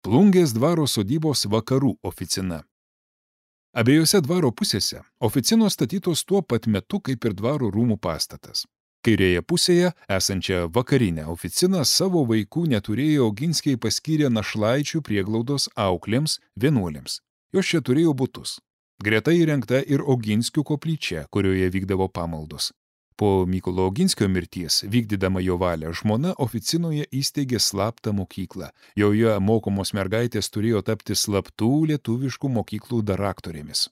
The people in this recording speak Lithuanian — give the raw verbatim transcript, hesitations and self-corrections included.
Plungės dvaro sodybos vakarų oficina. Abiejose dvaro pusėse oficinos statytos tuo pat metu kaip ir dvaro rūmų pastatas. Kairėje pusėje esančią vakarinę oficiną savo vaikų neturėję Oginskiai paskyrė našlaičių prieglaudos auklėms, vienuolėms. Jos čia turėjo butus. Greta įrengta ir Oginskių koplyčia, kurioje vykdavo pamaldos. Po Mykolo Oginskio mirties, vykdydama jo valią, žmona oficinoje įsteigė slaptą mokyklą. Joje mokomos mergaitės turėjo tapti slaptų lietuviškų mokyklų daraktorėmis.